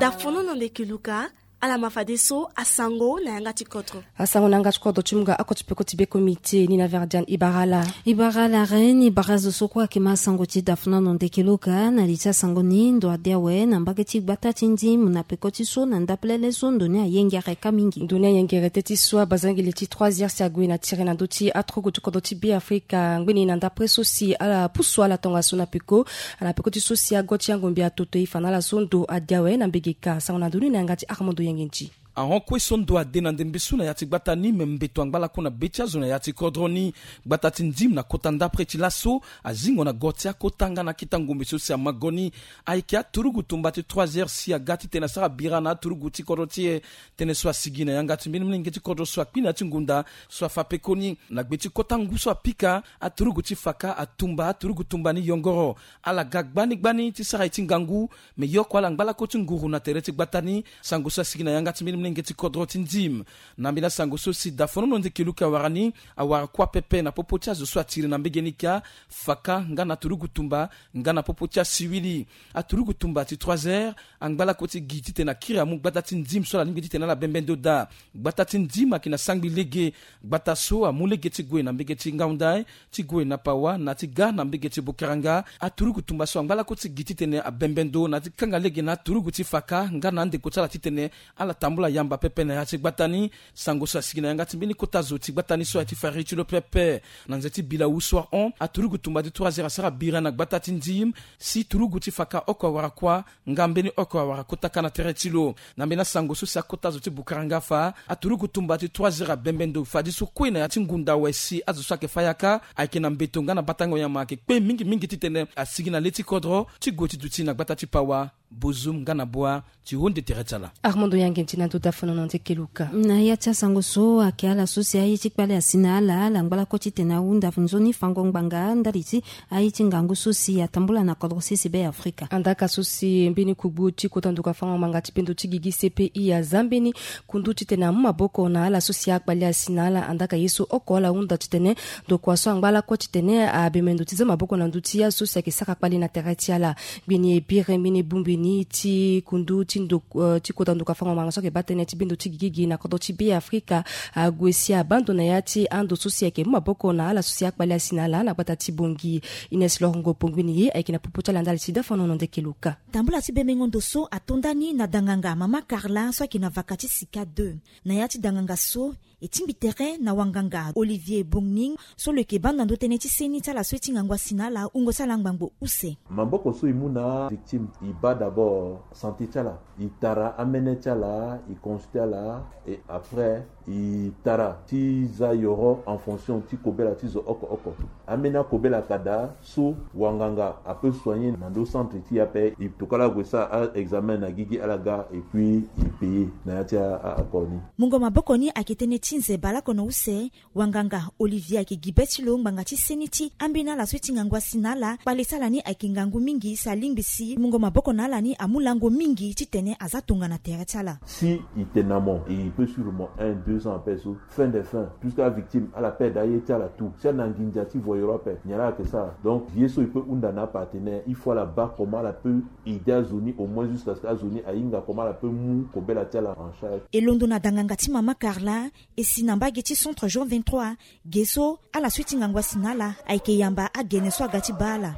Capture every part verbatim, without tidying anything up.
Dafono na ndeke luka. Ala ma fadeso asango na yanga ti kodro. Asango na yanga ti kodro ti mu nga oko ti peko ti be komite ni na verdian ibarala. Ibarala re ni bara zo so kue ayeke ma asango ti dafono na ndeke luka na li ti asango ni ndo ade awe na mbage ti gbata ti ndim na peko ti so na ndapelele so ndo ni ayengere ka mingi. Ndo ni ayengere teti so abazangeli ti trois heures si ague na tiri na ndö ti aturugu ti kodro ti be afrika ngbeni na ndapre so si ala pusu ala tongaso na peko. Na peko ti so si ago ti angombi atoto e fa na ala so ndo ade awe na mbege ka sango na ndo ni na yanga ti armando yenge nti. Ahon kue so ndo ade na ndembe so na ya ti gbata ni me mbeto angba lakue na be ti azo na ya ti kodro ni. Gbata ti ndim na kota ndapre ti laso azingo na go ti akota nga na akita ngombe so si amago ni. Ayeke aturugu tumba ti trois heures si aga titene asara bira na aturugu ti kodro ti e. Tënë so asigi na yanga ti mbeni molenge ti kodro so akpi na ya ti ngunda so afa pekoni na gbe ti kota ngu so apika aturugu ti faka atumba aturugu tumba ni yongoro. Ala ga gbani gbani ti sara ye ti ngangu. Me yoko ala ngba lako ti nguru na tere ti gbata ni. Sango so asigi na yanga ti mbeni molenge ti kodro ti ndim. Na mbeni asango so si dafonono ndeke luka awara ni awara kuâ pepe na popo ti azo so atiri na mbege ni ka. Faka nga na aturugu tumba nga na popo ti asiwili. Aturugu tumba ti trois heures angba lako ti gi titene akiri amu gbata ti ndim so ala lingbi titene ala bembe ndo daa. Gbata ti ndim ayeke na sangbi lege. Gbata so amu lege ti gue na mbege ti ngaundai ti gue na pawa na ti ga na mbege ti bokaranga. Aturugu tumba so angba lako ti gi titene abembe ndo na ti kanga lege na aturugu ti faka nga na andeko ti ala titene ala tambula yamba pepe na ya ti gbata ni. Sango so asigi na yanga ti mbeni kota zo ti gbata ni so aye ti fari ti lo pepe. Na nze ti bila wu so ahon aturugu tumba ti trois heures asara bira na gbata ti ndim. Si turugu ti faka oko awara kuâ nga mbeni oko awara kota ka na tere ti lo. Na mbeni asango so si akota zo ti bukaranga afa aturugu tumba ti trois heures abembe ndo fadeso kue na ya ti ngunda awe si azo so ayeke fa yaka ayeke na mbeto nga na batango nyama ayeke kpe mingi mingi titene asigi na le ti kodro ti gue ti duti na gbata ti pawa. Bozum nga na boa ti honde tere ti ala. Armando yange nti na ndo dafonono ndeke luka. Na ya ti asango so ayeke ala so si aye ti kpale asi na ala ala ngba lako titene ahunda nzoni fango ngbanga ndali ti aye ti ngangu so si atambula na kodro sese be afrika. Andaka so si mbeni kugbu ti kota nduka fango ngbanga ti bendo ti gigi cpi aza mbeni kundu titene amu maboko na ala so si akpale asi na ala andaka ye so oko ala hunda titene ndokua so angba lakue titene abembe ndo ti za maboko na ndö ti azo so si ayeke sara kpale na tere ti ala. Ngbeni e biri mbeni e bongbi ni ti kundu ti ndo ti kota nduka fango ngbanga so ayeke baa tënë ti bendo ti gigi na kodro ti be afrika. Ague si abaa ndo na ya ti ando so si ayeke mu maboko na ala so si akpale asi na ala na gbata ti bongi. Ines lorongo pongbi ni ye ayeke na popo ti ala ndali ti dafonono ndeke luka. Tambula ti bemengo ndo so ato nda ni na danganga mama carla so ayeke na vaka ti sika deux. Na ya ti danganga so e tingbi tere na wanganga olivier bongning so lo yeke baa ndo na ndö tënë ti seni ti ala so e ti ngangu asi na ala wungo ti ala ngbangbo use. Maboko so e mu na victime e baa d'abord santé ti ala, e tara amene ti ala, e consulte ala. Et après e tara ti za yoro en fonction ti kobela ti zo oko oko. Ambeni akobela ka daa so wanganga ape soigner na ndo centre ti e ape. E tokala ague sara a-examen na gigi ala ga et puis e payer na ya ti akoni. Mungo maboko ni ayeke tënë ti nze baleoko na use. Wanganga olivier ayeke gi be ti lo ngbanga ti seni ti ambeni ala so e ti ngangu asi na ala kpale ti ala ni ayeke ngangu mingi si alingbi si mungo maboko na ala ni amu lango mingi titene aza tongana tere ti ala. Si e tene na mo e peut suivre mo un deux ans ape so fin de fin puisque avictime ala perdre aye ti ala tout si ana nginza ti voyeur ape nyen la ayeke sara. Donc ye so e peut hunda na apartenaire il faut ala baa comment ala peut aider azo ni au moins jusqu'à ce que azo ni ahinga comment ala peut mu kobela ti ala en charge. E londo na danganga ti mama carla e si na mbage ti centre jean vingt-trois ge so ala so e ti ngangu asi na ala ayeke yamba agene so aga ti baa ala.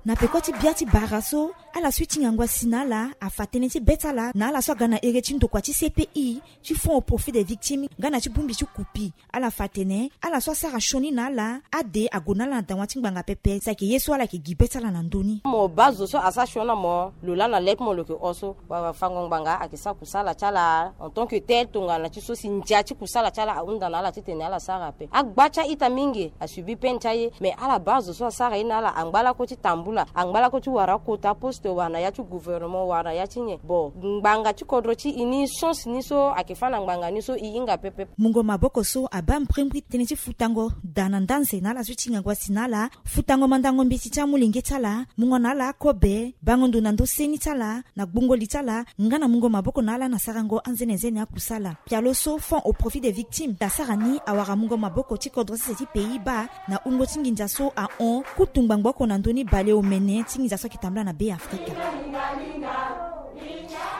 Na peko ti bia ti bara so ala so e ti ngangu asi na ala afa tënë ti be ti ala na ala so aga na here ti ndokua ti cpi ti fonds au profit des victimes nga na ti bongbi ti kupi. Ala fa atene ala so asara sioni na ala ade ague na ala na dawa ti ngbanga pepe si ayeke ye so ala yeke gi be ti ala na ndö ni. Mo baa zo so asara sioni na mo lo laa na le ti mo lo yeke hon so wala fango ngbanga ayeke sara kusala ti ala en tant que tel tongana ti so si ndia ti kusala ti ala ahunda na ala titene ala sara ape. Agba ti a-ita mingi asubi peine ti aye mais ala baa zo so asara ye na ala angba lako ti tambu. Angba lako ti wara kota poste wala na ya ti gouvernement wala na ya ti nyen. Bon, ngbanga ti kodro ti e ni, chance ni so ayeke fâ na ngbanga ni so e hinga pepe. Mungo maboko so abaa mbrimbri tënë ti futango daa na ndanze na ala so ti ngangu asi na ala, futango mandango mbeti ti amolenge ti ala, mungo na ala akobe, bango ndo na ndö seni ti ala, na gbungo li ti ala, nga na mungo maboko na ala na sarango anzenenzene akusala. Pialo so Fonds au profit des victimes asara ni awara mungo maboko ti kodro sese ti Pays-Bas na wungo ti nginza so ahon kutu ngbangbo oko na ndö ni baleomene ti nginza so ayeke tambula na Be Afrika.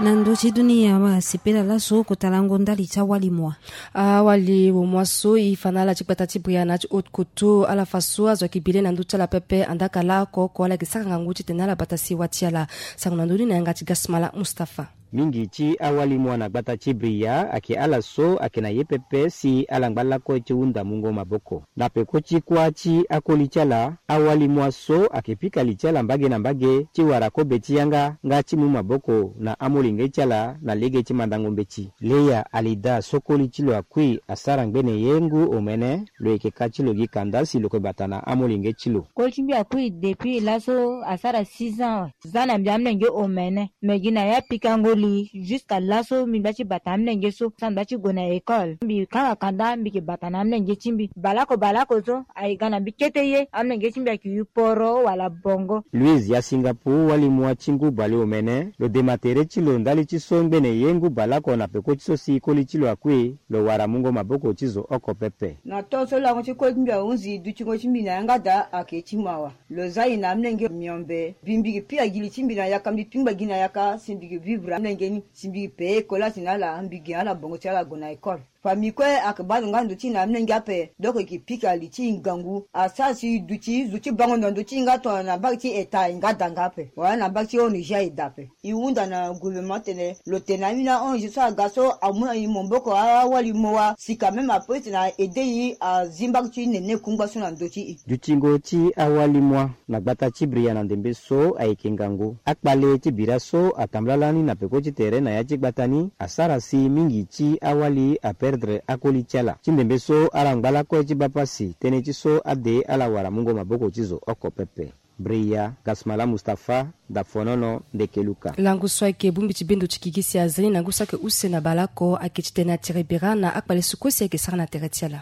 Na ndö ti dunia, asepela laso kota lango ndali ti awali mua. Awali omua so e fa na ala ti gbata ti Bria na ya ti Haute-Kotto, ala fa so azo ayeke bi le na ndö ti ala pepe, andaa ka laoko oko ala yeke sara ngangu titene ala bata sewa ti ala. Sango na ndö ni na yanga ti Gasmala Mustapha. Mingi ti awali mua na gbata ti Bria ayeke ala so ayeke na ye pepe si ala ngba lakue ti hunda mungo maboko. Na peko ti kuâ ti akoli ti ala, awali mua so ayeke pika li ti ala mbage na mbage ti wara kobe ti yanga nga ti mu maboko na amolenge ti ala na lege ti mandango mbeti. Leya Alida so koli ti lo akui asara ngbene ye ngu omene, lo yeke ka ti lo gi kanda si lo yeke bata na amolenge ti lo. Koli ti mbi akui depuis laso asara six ans awe. Za na mbi amolenge omene, me gi na ya pikango li jusqu'à laso mbi ngba ti bata amolenge so, sa mbi ngba ti gue na école. Mbi kanga kanda mbi yeke bata na amolenge ti mbi. Baleoko baleoko so aye ga na mbi kete ye, amolenge ti mbi ayeke yu poro wala bongo. Louise ya Singapour, wali mua ti ngu baleomene, lo dema tere ti lo ndali ti so ngbene ye ngu baleoko na peko ti so si koli ti lo akui, lo wara mungo maboko ti zo oko pepe. Na to so lango ti koli ti mbi ahunzi, dutingo ti mbi na yanga daa ayeke ti mawa. Lo za e na amolenge miombe. Mbi, mbi yeke pika gi li ti mbi na yaka, mbi pingba gi na yaka si mbi yeke vivre amolenge ni, si mbi yeke paye école ti ala, mbi gi na ala bongo ti ala gue na école. Famille kue ayeke baa lo nga ndo ti e na amolenge ape. Donc e yeke pika li ti e ngangu. Asara si e duti zo ti bango ndo na ndö ti e nga tongana na mbage ti eta e nga da nga ape, wala na mbage ti O N G e da ape. E hunda na gouvernement tene lo tene na ambeni O N G so aga so amu na e maboko awali mua, si quand même apeut titene a aider e azi mbage ti nene kungba so na ndö ti e. Dutingo ti awali mua na gbata ti Bria na ndembe so ayeke ngangu. Akpale ti bira so atambula lani na peko ti tere na ya ti gbata ni asara si mingi ti awali aperdre akoli ti ala. Ti ndembe so ala ngba lakue ti baa pasi tënë ti so ade ala wara mungo maboko ti zo oko pepe. Bria, Gasmala Mustapha, Dafonono, Ndekeluka. Langu so ayeke bongbi ti bendo ti gigi si azia ni na ngu so ayeke use na baleoko ayeke titene atiri bira na akpale so kue si ayeke sara na tere ti ala.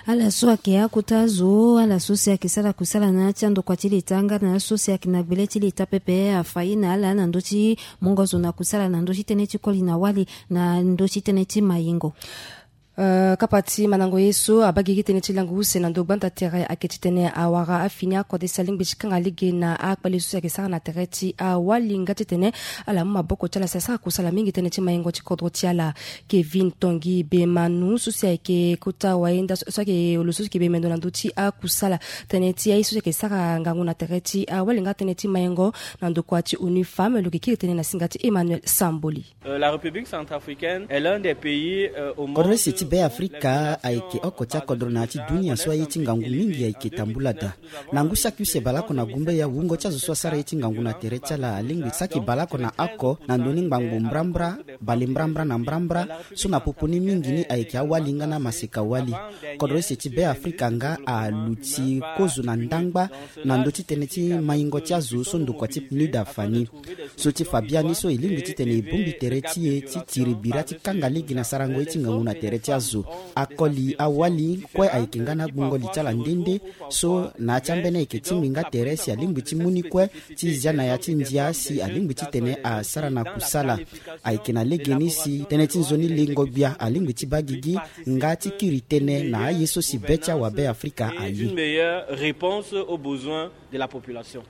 Ala so ayeke akota zo, ala so si ayeke sara kusala na ya ti andokua ti leta nga na ya so si ayeke na gbele ti leta pepe afa ye na ala na ndö ti mungo zo na kusala na ndö ti tënë ti koli na wali na ndö ti tënë ti mayingo. Eh, kapa ti mandango ye so abaa gigi tënë ti lango use na ndo gbanda tere ayeke titene awara afini akode si alingbi ti kanga lege na akpale so si ayeke sara na tere ti awali nga titene ala mu maboko ti ala si asara kusala mingi tënë ti mayingo ti kodro ti ala. Kevin Tongi Bemanu so si ayeke kota wayenda so, so ayeke lo so si ayeke bemendo na ndö ti akusala tënë ti aye so si ayeke sara ngangu na tere ti awali nga tënë ti mayingo na ndokua ti ONU Femmes, lo yeke kiri tënë na singa ti Emmanuel Samboli. Euh, la République centrafricaine est l'un des pays, euh, au monde. Kodro use ti Be Afrika ayeke oko ti akodro na ya ti dunia so aye ti ngangu mingi ayeke tambula daa. Na ngu saki use baleoko na gumbe ya wungo ti azo so asara ye ti ngangu na tere ti ala alingbi saki baleoko na oko na ndö ni ngbangbo mbrambra, bale mbrambra na mbrambra, so na popo ni mingi ni ayeke awali nga na maseka wali. Kodro use ti Be Afrika nga aluti kozo na ndangba na ndö ti tënë ti maingo ti azo so ndokua ti PNUD afa ni. So ti fa biani so e lingbi titene e bongbi tere ti e ti tiri bira ti kanga lege na sarango ye ti ngangu na tere ti azo. Akoli awali kue ayeke nga na agbungo li ti ala nde nde. So na ya ti ambeni ayeke tingbi nga tere si alingbi ti mu ni kue ti zia na ya ti ndia si alingbi titene asara na kusala. Ayeke na legeni si tënë ti nzoni lengo gbia alingbi ti baa gigi nga ti kiri tënë na aye so si be ti awabe Afrika aye. Une meilleure réponse aux besoins de la population.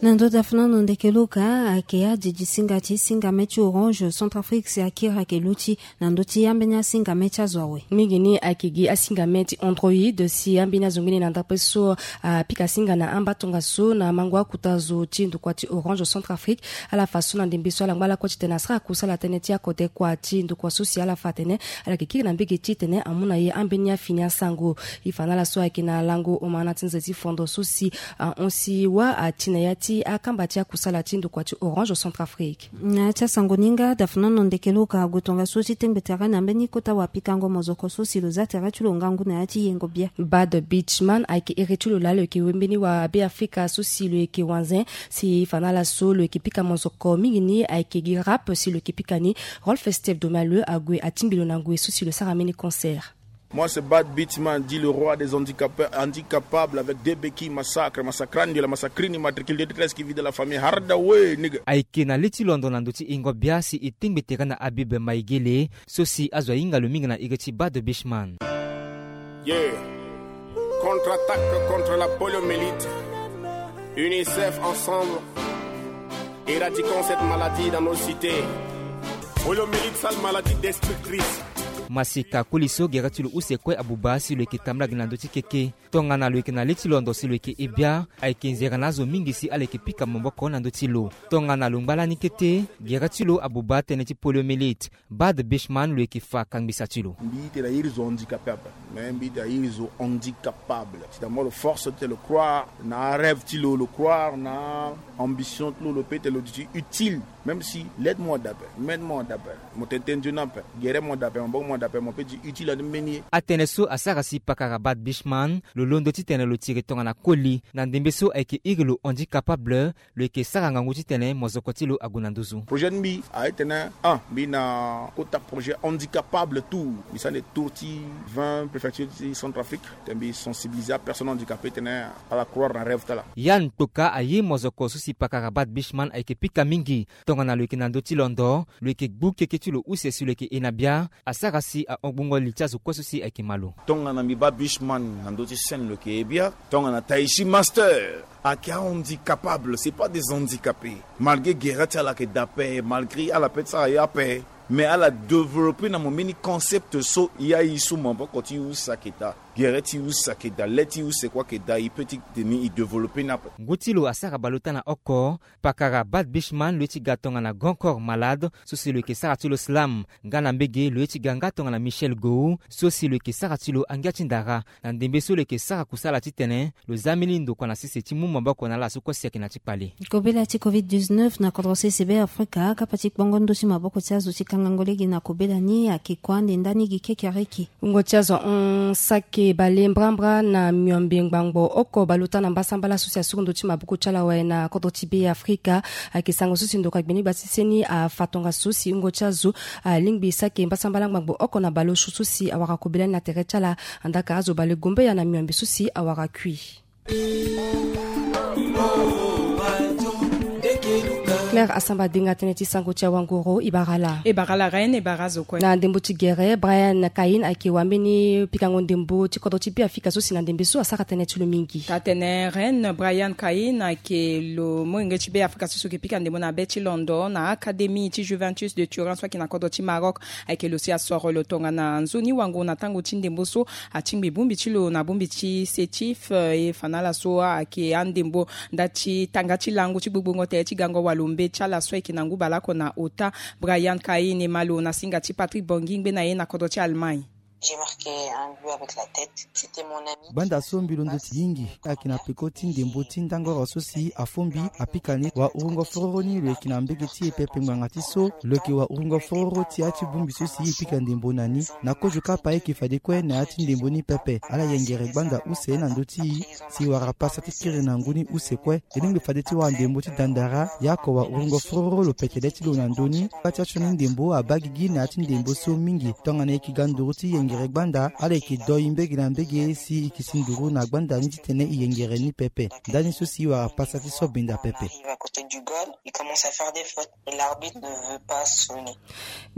Na ndö Dafonono, Ndekeluka, ayeke adidi singa ti singame ti Orange Centrafrique si akiri ayeke luti na ndö ti ambeni asingame ti azo awe. Mingi ni ayeke gi asingame ti Android si ambeni azo ngbene na ndapre so apika singa na amba tongaso na mango akota zo ti ndokua ti Orange Centrafrique. Ala fa so na ndembe so ala ngba lakue titene asara kusala tënë ti akode kua ti ndokua so si ala fa atene ala yeke kiri na mbege titene amu na ye ambeni afini asango. E fa na ala so ayeke na lango omana ti nze ti fondo so si ahon si wâ ati na ya ti Ti akamba ti akusala ti ndokua ti Orange Centrafrique. Na ya ti asango ni nga dafnono ndeke lo ka gue tongaso ti tengbe tere na mbeni kota wapikango mozoko so si lo za tere ti lo ngangu na ya ti yengo bia. Bad Beachman ayeke iri ti lo laa lo yeke wembeni wa Beafrika so si lo yeke wanzen si fa na ala so lo yeke pika mozoko mingi ni ayeke gi rap si lo yeke pika ni Rolf Steve Domaleu ague atingbi lo na ngoi so si lo sara mbeni concert. Moi, c'est Bad Beachman, dit le roi des handicapés, handicapable avec deux béquilles, massacre, massacrandi, la massacrini, matricule deux treize qui vit de la famille Hardaway, nigga. Ayeke na le ti londo na ndö ti ingo bia si e tengbe tere na Habib Maigele, so si azo ahinga lo mingi na iri ti Bad Beachman. Yeah. Contre-attaque contre la poliomyélite. UNICEF ensemble. Éradiquons cette maladie dans nos cités. Poliomyélite, sale maladie destructrice. Masika koli so gere ti lo use kue abuba si lo yeke tambula gi na ndö ti keke. Tongana lo yeke na le ti londo si lo yeke e bia, ayeke nzere na azo mingi si ala yeke pika maboko na ndö ti lo. Tongana lo ngba lani kete, gere ti lo abuba tënë ti poliomyélite. Bad Beachman lo yeke fa kangbisa ti lo. Mbi tene na iri zo handicapé ape. Mais mbi tene na iri zo handicapable. Ti da mo lo force ti lo croire na arêve ti lo, lo croire na ambition ti lo, lo peut ti lo duti utile. Même si l'aide mo dape, m'aide mo dape, mo tene tene nzoni ape, gere mo dape, maboko mo dape, mo peut ti utile ande mbeni ye. Atënë so asara si pakara Bad Beachman lo londo titene lo tiri tongana koli na ndembe so ayeke iri lo handicapable. Lo yeke sara ngangu titene mozoko ti lo ague na nduzu. Projet ti mbi aye tene, ah, mbi na kota projet handicapable tour. Mbi sara nde tour ti vingt préfecture ti Centrafrique. Tene mbi sensibiliser apersonne handicapée tene ala croire na rêve ti ala. Yann Toka aye mozoko so si pakara Bad Beachman ayeke pika mingi. Tongana lo yeke na ndö ti londo, lo yeke gbu keke ti lo use si lo yeke e na bia. Asara si ahon gbungo li ti azo kue so si ayeke ma lo. Tongana mbi baa Beachman na ndö ti scène lo yeke e bia. Tongana Taishi Master ayeke ahandicapable, c'est pas des handicapés. Malgré gere ti ala ayeke dape, malgré ala peut ti sara ye ape, mais ala développé na mo mbeni concept so ya ye so maboko ti use ayeke daa, gere ti use ayeke daa, le ti use kue ayeke daa, e peut ti tene e développé ni ape. Ngu ti lo asara bale ota na oko. Pakara Bad Beachman lo ye ti ga tongana grand corps malade so si lo yeke sara ti lo slam. Nga na mbege lo ye ti ga nga tongana Michel Gou so si lo yeke sara ti lo angia ti ndara. Na ndembe so lo yeke sara kusala titene lo za mbeni ndokua na sese ti mu maboko na ala so kue si ayeke na ti kpale. Kobela ti covid dix-neuf na kodro sese Beafrika, kapa ti kpongo ndö ti maboko ti azo ti kangango lege na kobela ni ayeke kua ande ndani gi kekereke. Wungo ti azo hon sake bale mbrambra na miombe ngbangbo oko bale ota na mbasambala so si asuru ndö ti maboko ti ala awe na kodro ti Beafrika. Ayeke sango so si ndokua gbeni gba ti seni afa tongaso si wungo ti azo alingbi sake mbasambala ngbangbo oko na bale osio so si awara kobela ni na tere ti ala. Andaka azo bale gombeya na miombe so si awara kui. Claire Asamba Denga, tënë ti sango ti awanguru. E bara ala. E bara ala Reine, e bara azo kue. Na ndembo ti gere, Brian Cain ayeke wambeni pikango ndembo ti kodro ti Beafrika so si na ndembe so asara tënë ti lo mingi. Taa-tënë Reine, Brian Cain ayeke lo molenge ti Beafrika so si lo yeke pika ndembo na be ti londo na Académie ti Juventus de Turin so ayeke na kodro ti Maroc. Ayeke lo si asoro lo tongana nzoni wanguru na tango ti ndembo so. Atingbi bongbi ti lo na bongbi ti Sétif, eh, e fa na ala so ayeke andembo nda ti tanga ti lango ti gbogbongo tere ti gango walombe ti ala so ayeke na ngu baleoko na ota. Brian Cain e ma lo na singa ti Patrick Bongi ngbene ye na kodro ti Allemagne. J'ai marqué un but avec la tête. C'était mon ami. Gbanda so mbi londo ti hingi ayeke na peko ti ndembo ti ndangoro so si afo mbi apika ni. Wahurungo fororo ni lo yeke na mbege ti e pepe ngbanga ti so lo yeke wahurungo fororo ti ya ti bongbi so si e pika ndembo na ni. Na kozo kapa e yeke fade kue na ya ti ndembo ni pepe. Ala yengere gbanda use na ndö ti e si wara pasa ti kiri na ngu ni use kue. E lingbi fade ti wara ndembo ti dandara. Yaoko wahurungo fororo lo pete le ti lo na ndö ni. Kpa ti asioni ndembo abaa gigi na ya ti ndembo so mingi. Tongana e yeke ga nduru ti yengere gbanda, ala yeke do e mbege na mbege si e yeke si nduru na gbanda ni titene e yengere ni pepe. Ndani so si e wara pasa ti so benda pepe. Arrive à côté du goal, il commence à faire des fautes et l'arbitre ne veut pas sonner.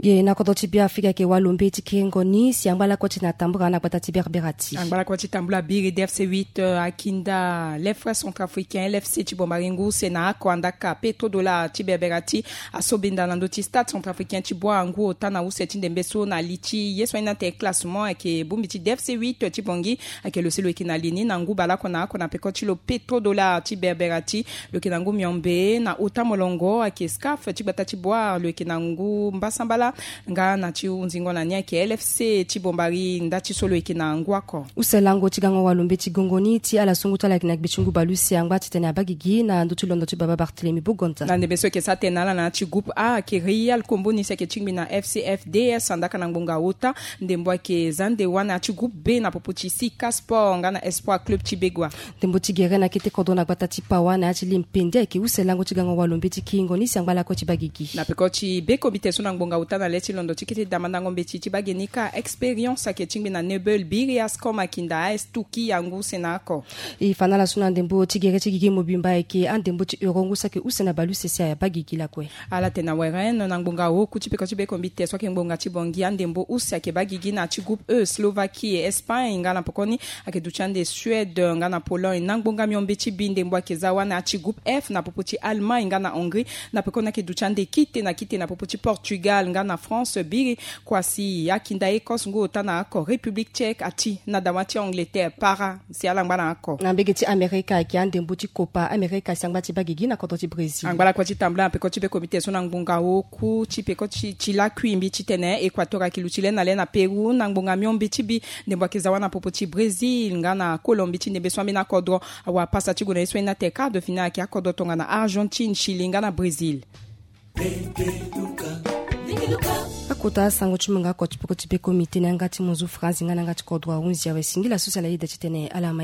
Ge na kodro ti Beafrika ayeke walombe ti kiringo ni si angba lakue ti na tambula na gbata ti Berbera ti. Angba lakue ti tambula biri D F C huit, euh, akinda les frères centrafricains, L F C ti Bombaringu use na oko andaka Petro Dollar ti Berbera ti aso benda na ndö ti Stade Centrafricain ti Bois-Angu ota na use ti ndembe so na li ti ye so ahinda atene classe Mo ayeke bongbi ti D F C huit ti Bangui, ayeke lo si lo yeke na li ni na ngu baleoko na oko na peko ti lo Petrodollar ti Berbera ti, lo yeke na ngu miombe na ota molongo. Ayeke SCAF ti gbata ti Boar, lo yeke na ngu mbasambala. Nga na ti hunzingo na ni ayeke L F C ti Bombari, nda ti so lo yeke na ngu oko. Use lango ti gango walo mbeti gongo ni ti ala so ngu ti ala yeke na gbe ti ngu baleuse angba titene abaa gigi na ndö ti londo ti baba Barthélemy Bogonza. Na ndembe so ayeke sara tënë na ala na ya ti groupe A ayeke Real Kombo ni si ayeke tingbi na F C F D S, andaka na ngbonga ota. Ndembo ayeke Zande wana ya ti groupe B na popo ti Sika Sport nga na Espoir Club ti Begoua. Ndembo ti gere na kete kodro na gbata ti Pawa na ya ti Limpende ayeke use lango ti gango walo mbeti kiringo ni si angba lakue ti baa gigi. Na peko ti be komite so na ngbonga ota na le ti londo ti kete damandango mbeti ti baa ge ni kâ, Expérience ayeke tingbi na Nebel biri Ascom Akinda A S Tuki ya ngu use na oko. E fa na ala so na ndembo ti gere ti gigi mobimba ayeke andembo ti Euro ngu so ayeke use na baleuse si abaa gigi lakue. Ala tene na weren na ngbonga oku ti peko ti be komite so ayeke ngbonga ti Bangui, andembo use ayeke baa gigi na ya ti groupe E, Slovaquie, Espagne nga na pokoni ayeke duti ande Suède nga na Pologne. Na ngbonga miombe ti bi, ndembo ayeke za wâ na ya ti groupe F na popo ti Allemagne nga na Hongrie. Na pekoni ayeke duti ande kite na kite na popo ti Portugal nga na France. Biri Kwasi Akinda Écosse ngu ota na oko, République Tchèque ati na dawa ti Angleterre para si ala ngba na oko. Na mbege ti Amerika ayeke andembo ti Copa America si angba ti baa gigi na kodro ti Brésil. Angba lakue ti tambula na peko ti be komite so na ngbonga oku ti peko ti lakui mbi titene Équateur ayeke luti le na le na Pérou na ngbonga miombe ti bi. Ndembo ayeke za wâ na popo ti Brésil nga na Colombie ti ndembe so ambeni akodro awa pasa ti gue na ye so aye ni atene quart de finale ayeke akodro tongana Argentine, Chili nga na Brésil. Akota asango ti mungo oko ti peko ti be komite na yanga ti monzu France nga na yanga ti kodro ahunzi awe. Singila so si ala yeda titene ala ma ye.